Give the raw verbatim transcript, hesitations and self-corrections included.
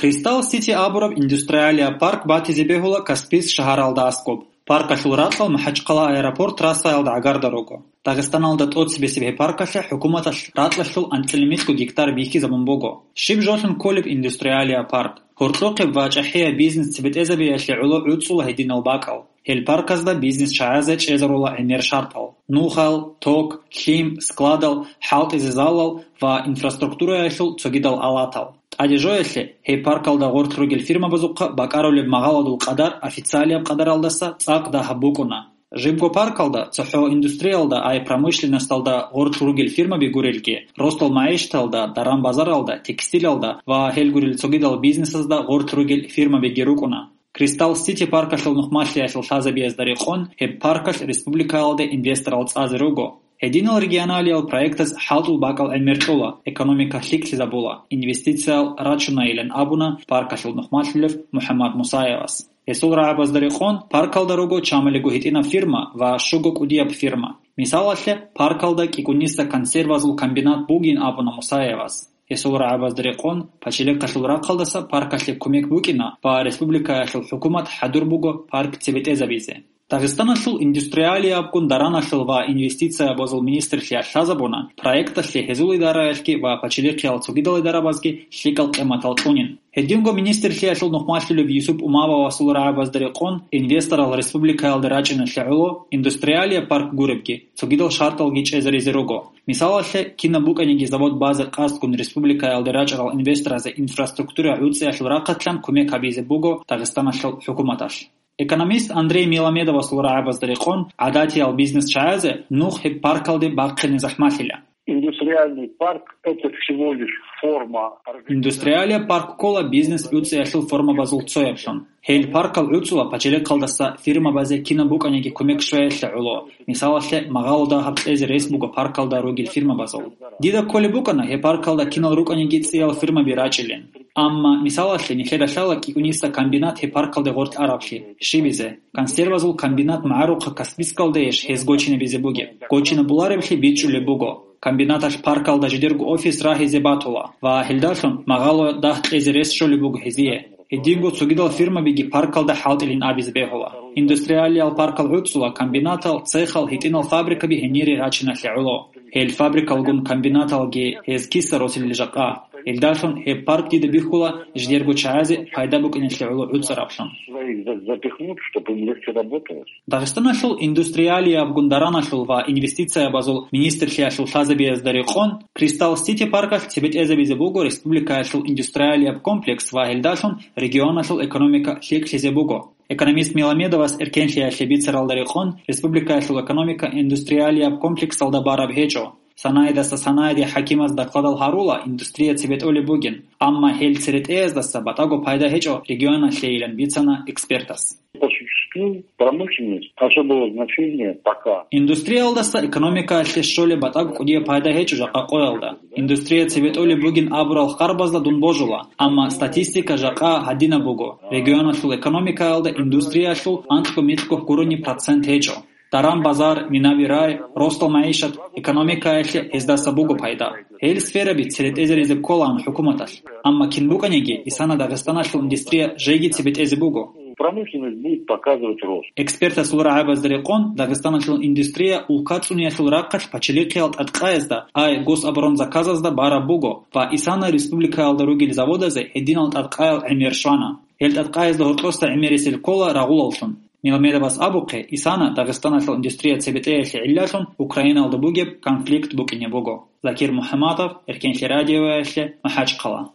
Кристалл Сити абураб индустриалияб парк батизе бегьула Каспийск шагьаралда аскӀоб. Паркалъул ракьал МахӀачхъала аэропорт трассаялда гӀагарда руго. Дагъистаналда тӀоцебесеб гьеб паркалъе хӀукуматалъ ракьалъул анцӀила микьго гектар бихьизабун буго. Щиб жолъун кколеб индустриалияб парк? Гьоркьохъеб ва чӀахӀияб бизнес цебетӀезабиялъе гӀоло гӀуцӀула гьединал бакӀал. Гьел парказда бизнес чагӀазе чӀезарула гӀемер шартал: нухал, ток, лъим, складал, хӀалтӀизе залал ва инфраструктураялъул цогидал алатал. ТӀаде жоялъе, гьеб паркалда гъорлъ ругел фирмабазухъа бакӀарулеб магъаладул къадар официалияб къадаралдаса цӀакъ дагьаб букӀуна. Жибго паркалда, цохӀо индустриялда, ай промышленносталда гъорлъ ругел фирмаби гурелги, росдал магӀишаталда, даран-базаралда, текстилалда ва гьел гурел цогидал бизнесазда гъорлъ ругел фирмабиги рукӀуна. Кристалл Сити паркалъул нухмалъиялъул лъазабиязда рекъон, гьеб паркалъ республикаялде инвесторал цӀазе руго. Гьединал регионалиял проектаз хӀалтӀул бакӀал гӀемер кьола, экономика лъикӀлъизабула, инвестициял рачунайилан абуна паркалъул нухмалъулев МухӀаммад Мусаевас. Гьесул рагӀабазда рекъон, паркалда руго чамалиго гьитӀинаб фирма ва щуго кӀудияб фирма. Мисалалъе, паркалда кӀикӀуниса консервазул комбинат бугин абуна Мусаевас. Гьесул рагӀабазда рекъон, пачалихъалъул рахъалдаса паркалъе кумек букӀина ва республикаялъул хӀукумат хӀадур буго парк цебетӀезабизе. Дагъистаналъул индустриалиябгун дараналъул ва инвестициябазул министрлъиялъ лъазабуна, проекталъе гьезул идараялъги ва пачалихъиял цогидал идарабазги лъикӀал къиматал кьунин. Гьединго министрлъиялъул нухмалъулев Юсуп Умавасул рагӀабазда рекъон, инвесторал республикаялда рачӀиналъе гӀоло индустриалияб парк гуребги, цогидал шарталги чӀезаризе руго. Мисалалъе, кинаб букӀаниги завод базе къасдгун республикаялде рачӀарал инвесторазе инфраструктура гӀуцӀиялъул рахъалъан кумек гьабизе буго Дагъистаналъул хӀукуматалъ. Экономист Андрей Миламедовасул рагӀабазда рекъон, гӀадатиял бизнес чагӀазе нух гьеб паркалде бахъине захӀмалъила. Индустриальный парк — это всего лишь форма организации. Индустриалияб парк ккола бизнес гӀуцӀиялъул формабазул цояблъун. Гьел паркал гӀуцӀула пачалихъалдаса фирмабазе кинаб букӀаниги кумек щвеялъе гӀоло. Мисалалъе, магъало дагьаб кьезе рес буго паркалда ругел фирмабазул. Дида кколеб букӀана гьеб паркалда кинал рукӀаниги цӀиял фирмаби рачӀилин. Амма, мисалалъе, нилъеда лъала кӀикӀуниса комбинат гьеб паркалде гъоркь араблъи. Щибизе? Консервазул комбинат магӀарухъа Каспийскалдейищ гьез гочинабизе бугеб? Гочинабулареблъи бичӀчӀулеб буго. Комбинаталъ паркалда жидерго офис рагьизе батула ва гьелдалъун магъало дагь кьезе рес щолеб буго гьезие. Гьединго цогидал фирмабиги паркалда хӀалтӀилин абизе бегьула. Индустриалиял паркал гӀуцӀула комбинатал, цехал, гьитӀинал фабрикаби гьенире рачиналъе гӀоло. Гьел фабрикалгун комбинаталги гьез киса росилел жакъа. Гьелдалъун гьеб парк дида бихьула жидерго чагӀазе пайда букӀиналъе гӀоло гӀуцӀараблъун. Своих за-, запихнуть, чтобы им легче работалось. Дагъистаналъул индустриалиябгун дараналъул ва инвестициябазул министрлъиялъул лъазабиязда рекъон, Кристалл Сити паркалъ цебетӀезабизе буго республикаялъул индустриалияб комплекс ва гьелдалъун регионалъул экономика лъикӀлъизе буго. Экономист Миламедовас эркенлъиялъе бицаралда рекъон, республикаялъул экономика индустриалияб комплексалда бараб гьечӀо. Санаидаса санаиде хӀакимаз докладал гьарула, индустрия цебетӀолеб бугин, амма гьел церетӀеяздаса батӀаго пайда гьечӀо регионалъейилан бицана экспертас. По существу промышленность особого значения пока. Индустриялдаса экономикаялъе щолеб батӀаго кӀудияб пайда гьечӀо жакъа къоялда. Индустрия цебетӀолеб бугин абурал хъарбазда дун божула, амма статистика жакъа гьадинаб буго. Регионалъул экономикаялда индустриялъул анкьго-микьго гурони процент гьечӀо. Даран-базар, минави рай, росдал магӀишат, экономикаялъе гьездаса буго пайда. Гьел сфераби церетӀезаризе кколаан хӀукуматалъ. Амма кин букӀаниги, исана Дагъистаналъул индустрия жеги цебетӀезе буго. Промышленность будет показывать рост. Экспертасул рагӀабазда рекъон, Дагъистаналъул индустрия улка цӀуниялъул рахъалъ пачалихъиял тӀадкъаязда, ай гособоронзаказазда бараб буго ва исана республикаялда ругел заводазе гьединал тӀадкъаял гӀемер щвана. Гьел тӀадкъаязда гьоркьоса гӀемерисел ккола рагъулаллъун. Миламедовас абухъе, исана Дагъистаналъул индустрия цебетӀеялъе гӀиллалъун Украиналда бугеб конфликт букӀине буго. Закир МухӀаммадов, Эркенлъи радиоялъе, МахӀачхъала.